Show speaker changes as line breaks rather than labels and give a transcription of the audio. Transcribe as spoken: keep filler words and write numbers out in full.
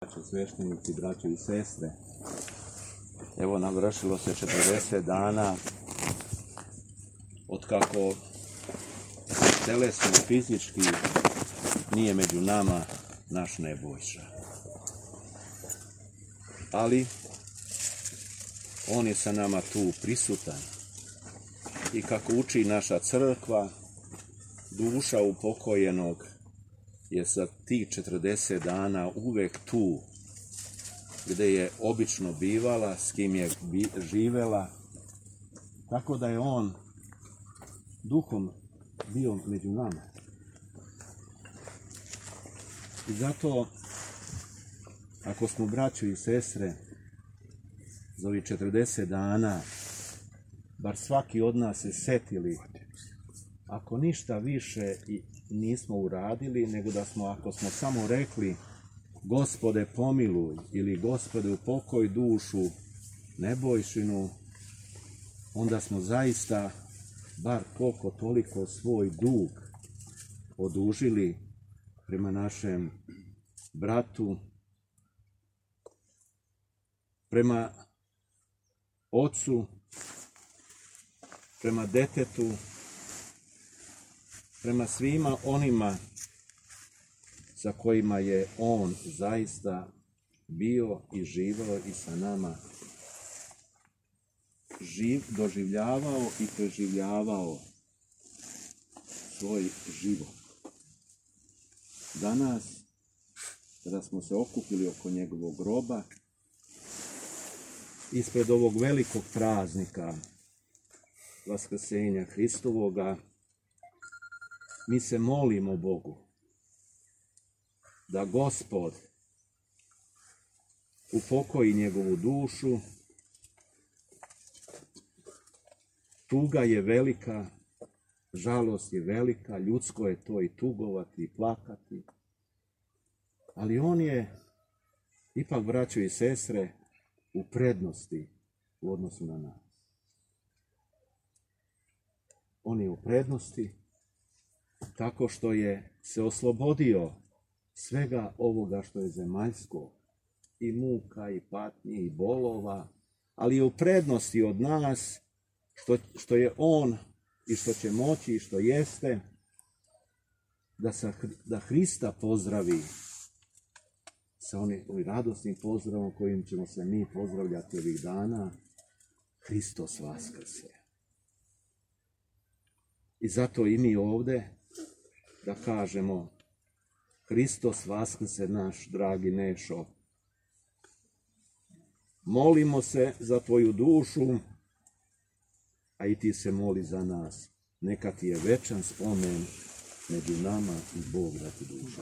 Braćo sveštenici, braćo i sestre, evo navršilo se četrdeset dana od kako telesno, fizički nije među nama naš Nebojša. Ali on je sa nama tu prisutan i kako uči naša crkva, duša upokojenog je za tih četrdeset dana uvek tu gde je obično bivala, s kim je živela, tako da je on duhom bio među nama. I zato, ako smo braćo i sestre za ovih četrdeset dana, bar svaki od nas se setili, ako ništa više i nismo uradili, nego da smo, ako smo samo rekli Gospode pomiluj ili Gospode upokoj dušu Nebojšinu, onda smo zaista bar koliko toliko svoj dug odužili prema našem bratu, prema ocu, prema detetu, prema svima onima sa kojima je on zaista bio i živao i sa nama živ, doživljavao i preživljavao svoj život. Danas, kada smo se okupili oko njegovog groba, ispred ovog velikog praznika Vaskrsenja Hristovoga, mi se molimo Bogu da Gospod upokoji njegovu dušu. Tuga je velika, žalost je velika, ljudsko je to i tugovati i plakati, ali on je ipak, braćo i sestre, u prednosti u odnosu na nas. On je u prednosti tako što je se oslobodio svega ovoga što je zemaljsko, i muka, i patnji, i bolova, ali je u prednosti od nas što, što je on i što će moći i što jeste da, sa, da Hrista pozdravi sa onim radosnim pozdravom kojim ćemo se mi pozdravljati ovih dana: Hristos vaskrse. I zato i mi ovde da kažemo: Hristos vaskrse, naš dragi Nešo. Molimo se za tvoju dušu, a i ti se moli za nas. Neka ti je večan spomen među nama i Bog da ti duša.